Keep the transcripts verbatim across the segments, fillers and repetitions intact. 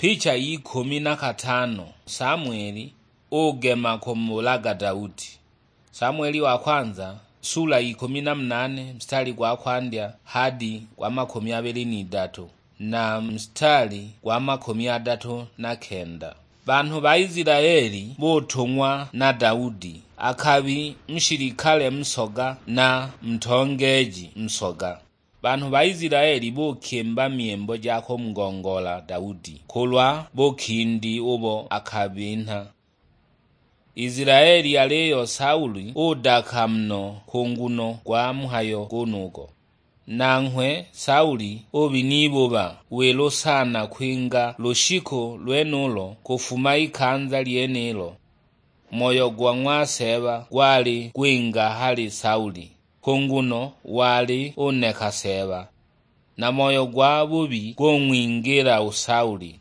Picha y'ikumi na katano, Samueli ugema kumulaga Daudi. Samueli wa kwanza, sula ikumi na munane, mstari gwa kwandya hadi gwa makumi abili n'idatu, na mstari gwa makumi adatu na kenda. Banhu ba Isilaeli butung'wa na Daudi, akabi nshilikale nsoga na ntongeeji nsoga. Banhu ba Isilaeli bukimba myimbo ja kumugongoola Daudi kulwa bukindi ubo akabinha. Isilaeli aliyo Sauli udaka muno ku nguno gwa mhayo gunugo. Nanghwe Sauli ubinibuba wilu sana kwinga lushiku lwenulo kufuma ikanza lyenilo. Moyo gwa ng'wa Seeba gwali gwinga hali Sauli, ku nguno wali uneka Seeba, na moyo gwa bubi gung'wingila u Sauli.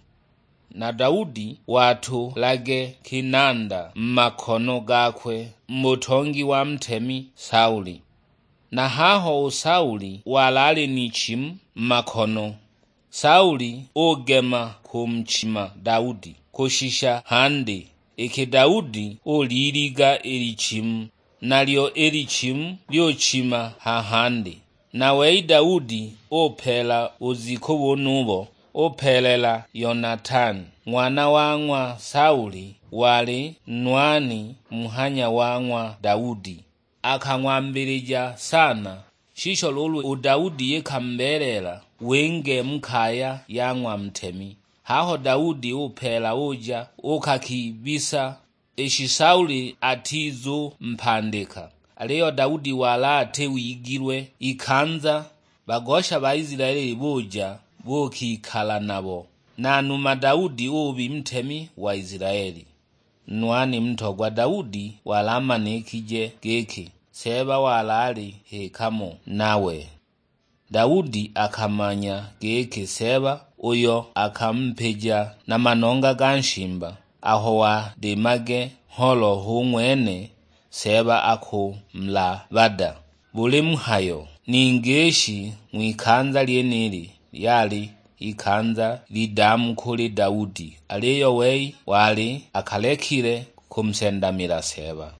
Na Daudi watulage kinanda mu makono gakwe mu butongi wa ntemi Sauli. Na haho u Sauli wali ali n'ichimu mu makono, Sauli ugema kumuchima Daudi kushisha handi, iki Daudi uliliga i lichimu, nalyo i lichimu lyuchima ha handi. Na wei Daudi upeela buziku bunubo, upeelela Yonatani, ng'wana wa ng'wa Sauli, wali nwani muhanya wa ng'wa Daudi. Akang'wambilija sana, shisho luulu u Daudi ikamubeelela winge mu kaya ya ng'wa ntemi. Haho Daudi upeela uja ukakibisa, ishi Sauli atizumpandika. Aliyo Daudi wali ati wigilwe ikanza, bagosha ba Isilaeli buja buukikala nabo. Na numa Daudi ubi ntemi wa Isilaeli. Nwani mutogwa Daudi wali amanikije giki Seeba wali ali hikamo nawe. Daudi akamanya giki Seeba uyo akamupija na manonga ga nshimba, aho wadimage ngholo hu ng'wene Seeba akumulabada. Buli mhayo, ningi ishi ng'wikanza lyenili lyali ikanza lidamu kuli Daudi, aliyo wei wali akalekile kumusendamila Seeba.